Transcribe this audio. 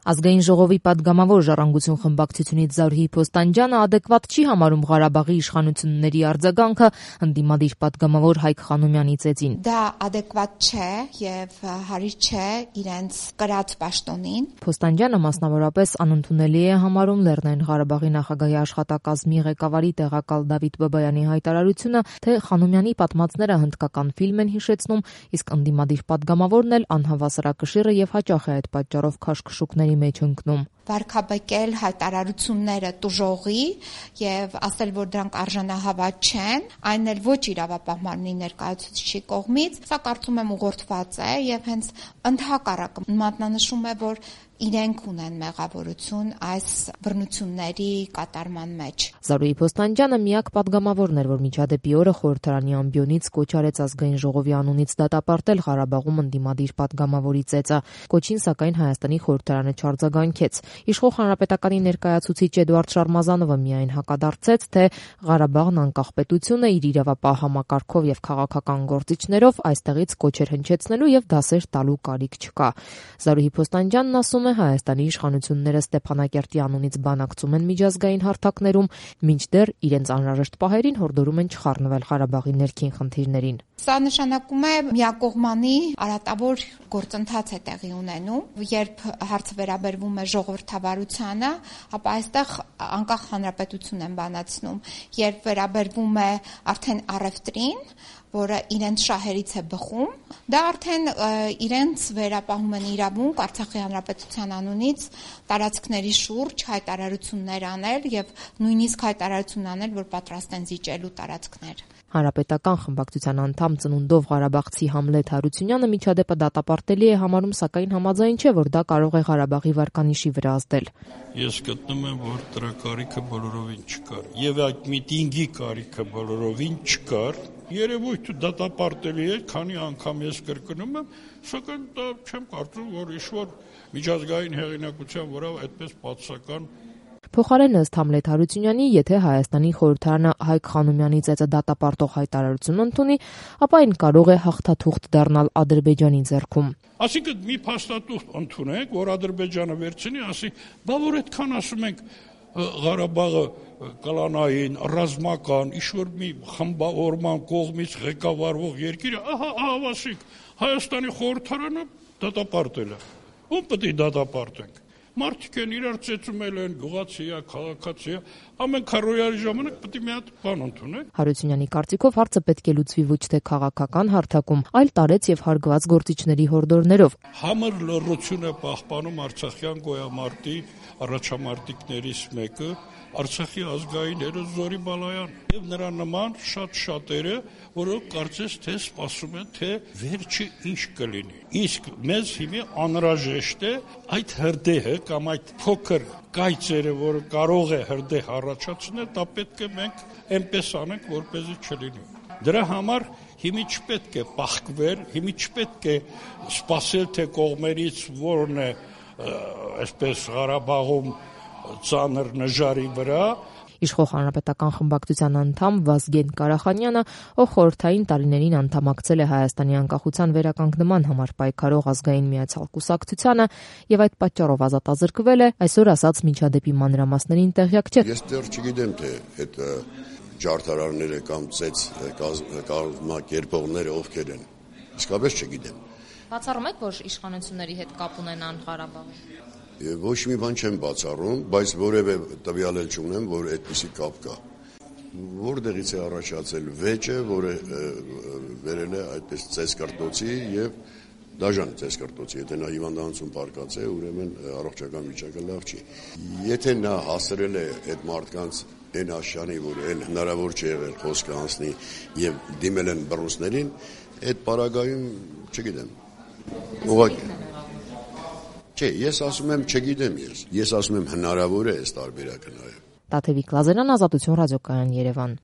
Ազգային ժողովի պատգամավոր Ժառանգություն խմբակցությունից Զարուհի Փոստանջյանը adekvat չի համարում Ղարաբաղի իշխանությունների արձագանքը ընդդիմադիր պատգամավոր Հայկ Խանոմյանի ծեծին։ Դա adekvat չէ եւ հարիր չէ իրենց կրած պաշտոնին։ Փոստանջյանը մասնավորապես անընդունելի է համարում Լեռնային Ղարաբաղի նախագահի աշխատակազմի ղեկավարի տեղակալ Դավիթ Բաբայանի հայտարարությունը, թե Խանոմյանի պատմածները հնդկական ֆիլմ են հիշեցնում, իսկ ընդդիմադիր պատգամավորն էլ անհավասարակշիռը եւ հաճախ է այդ պատճառով քաշքշուկների մեջ ընկնում։ Վարկաբեկել հայտարարությունները տուժողի եւ ասել, որ դրանք արժանահավատ չեն, այն էլ ոչ իրավապահ մարմնի ներկայացուցիչի կողմից, սա կարծում եմ ուղղորդված է եւ հենց ընդհակառակը մատնանշում է, որ իրենք ունեն մեղավորություն այս բռնությունների կատարման մեջ։ Զարուհի Փոստանջյանը միակ պատգամավորն էր, որ միջադեպի օրը խորհրդարանի ամբիոնից կոչ արեց ազգային ժողովի անունից դատապարտել Ղարաբաղում ընդդիմադիր պատգամավորի ծեծը։ Կոչին սակայն Հայաստանի խորհրդարանը չարձագանքեց։ Իշխող հանրապետականի ներկայացուցիչ Էդուարդ Շարմազանովը միայն հակադարձեց, թե Ղարաբաղն անկախ պետություն է, իր իրավապահ համակարգով եւ քաղաքական գործիչներով այստեղից կոչեր հնչեցնելու եւ դասեր տալու կարիք չկա։ Զարուհի Փոստանջյանն ասում է, Հայաստանի իշխանությունները Ստեփանակերտի անունից բանակցում են միջազգային հարթակներում, մինչդեռ իրենց անհրաժեշտ պահերին հորդորում են չխառնվել Ղարաբաղի ներքին խնդիրներին։ Սա նշանակում է միակողմանի արատավոր գործընթաց է տեղի ունենում, երբ հարցը վերաբերվում է ժողովրդավարությանը, ապա այստեղ անկախ հանրապետություն են բանացնում, երբ վերաբերվում է արդեն առևտրին, որը իրենց շահերից է բխում, դա արդեն իրենց վերապահում են իրավունք Արցախի հանրապետության անունից տարածքների շուրջ հայտարարություններ անել եւ նույնիսկ հայտարարություն անել, որ պատրաստ են զիջելու տարածքներ։ Հանրապետական խմբակցության անդամ ծնունդով Ղարաբաղցի Համլետ Հարությունյանը միջադեպը դատապարտելի է համարում, սակայն համաձայն չէ, որ դա կարող է Ղարաբաղի վարկանիշի վրա ազդել։ Ես գտնում եմ, որ դրա կարիքը բոլորովին չկար եւ այդ միտինգի կարիքը բոլորովին չկար։ Երևույթը դատապարտելի է, քանի անգամ ես կրկնում եմ, սակայն դա չեմ կարծում, որ ինչ-որ միջազգային հեղինակության վրա այդպես պատասական։ Փոխարեն ըստ Համլետ Հարությունյանի, եթե Հայաստանի խորհրդարանը Հայկ Խանոմյանի ծեծը դատապարտող հայտարարություն ընդունի, ապա այն կարող է հաղթաթուղթ դառնալ Ադրբեջանի ձեռքում։ Այսինքն մի փաստաթուղթ ընդունենք, որ Ադրբեջանը վերցնի, ասի, բա որ այդքան ասում ենք Ղարաբաղը կլանային, ռազմական, ինչ-որ մի խմբավորման կողմից ղեկավարվող երկիրը, ասիկ, Հայաստանի խորհրդարանը դատապարտել է։ Ում պետք է դատապարտենք։ Մարդիկ են իրար ծեծում են, գյուղացի է, քաղաքացի է, ամեն քարոյարի ժամանակ պետք է մի հատ բան ընդունենք։ Հարությունյանի կարծիքով հարցը պետք է լուծվի ոչ թե քաղաքական հարթակում, այլ տարեց եւ հարգված գործիչների հորդորներով։ Համր լռություն է պահպանում արցախյան գոյամարտի առաջամարտիկներից մեկը, Արցախի ազգային հերոս Զորի Բալայան եւ նրա նման շատ-շատերը, որոնք կարծես թե սպասում են, թե վերջը ինչ կլինի։ Իսկ մեզ հիմա անհրաժեշտ է այդ հրդեհը կամ այդ փոքր կայծերը, որը կարող է հրդեհ առաջացնել, դա պետք է մենք այնպես անենք, որպեսզի չլինի։ Դրա համար հիմի չպետք է պահկվել, հիմի չպետք է սպասել, թե կողմերից որն է այսպես Ղարաբաղում ծանր նժարի վրա։ Իշխող հանրապետական խմբակցության անդամ Վազգեն Կարախանյանը, ով խորհրդային տարիներին անդամակցել է Հայաստանի անկախության վերականգնման համար պայքարող ազգային միացյալ կուսակցությանը եւ այդ պատճառով ազատազրկվել է, այսօր ասած միջադեպի մանրամասներին տեղյակ չէ։ Ես դեռ չգիտեմ, թե այդ ջարդարարները կամ ծեծ կազմակերպողները ովքեր են։ Իսկապես չգիտեմ։ Բացառում եք, որ իշխանությունների հետ կապ ունենան Ղարաբաղում։ Ոչ մի բան չեմ բացառում, բայց որևէ տվյալ էլ չունեմ, որ այդպիսի կապ կա։ Որտեղից է առաջացել վեճը, որը վերել է այդպես ծեսկրտոցի եւ դաժան ծեսկրտոցի, եթե նա հիվանդանոցում պարկած է, ուրեմն առողջական վիճակը լավ չի։ Եթե նա հասրել է այդ մարդկանց այն աշյանի, որ էլ հնարավոր չի եղել խոսքը անցնի եւ դիմել են բռունցներին, այդ պարագայում չգիտեմ։ Ուղղակի Չէ, ես ասում եմ չգիտեմ ես ասում եմ հնարավոր է այս տարբերակը նաև։ Տաթևիկ Լազարյան, Ազատություն ռադիոկայան, Երևան։